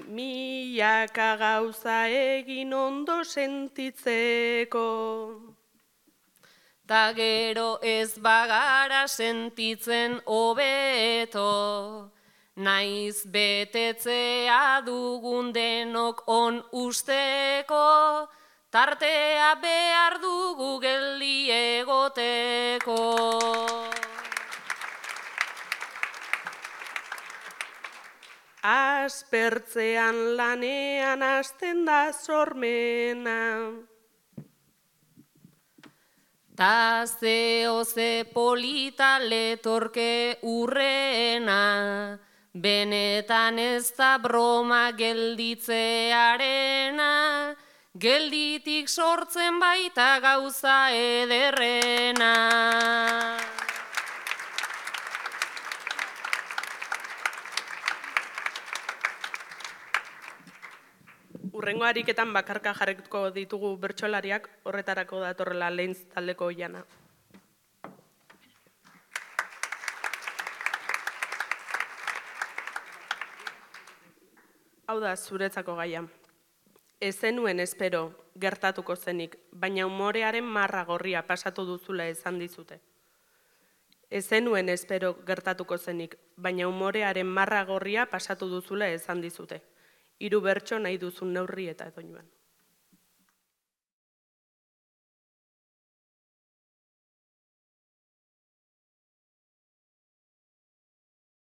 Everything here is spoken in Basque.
Milaka gauza egin ondo sentitzeko. Ta gero ez bagara sentitzen hobeto, naiz betetzea dugun denok on usteko, tartea behar dugu geldi egoteko. Aspertzean lanean hasten da sormena. Ta ze polita letorke urrena, benetan ez da broma gelditzearena, gelditik sortzen baita gauza ederrena. Hurrengo ariketan bakarka jarriko ditugu bertsolariak, horretarako datorrela Lehentz taldeko Oihana. Hau da zuretzako gaia. Ez zenuen espero gertatuko zenik, baina umorearen marra gorria pasatu duzula esan dizute. Ez zenuen espero gertatuko zenik, baina umorearen marra gorria pasatu duzula esan dizute. 3 bertso nahi duzun neurri eta doinuan.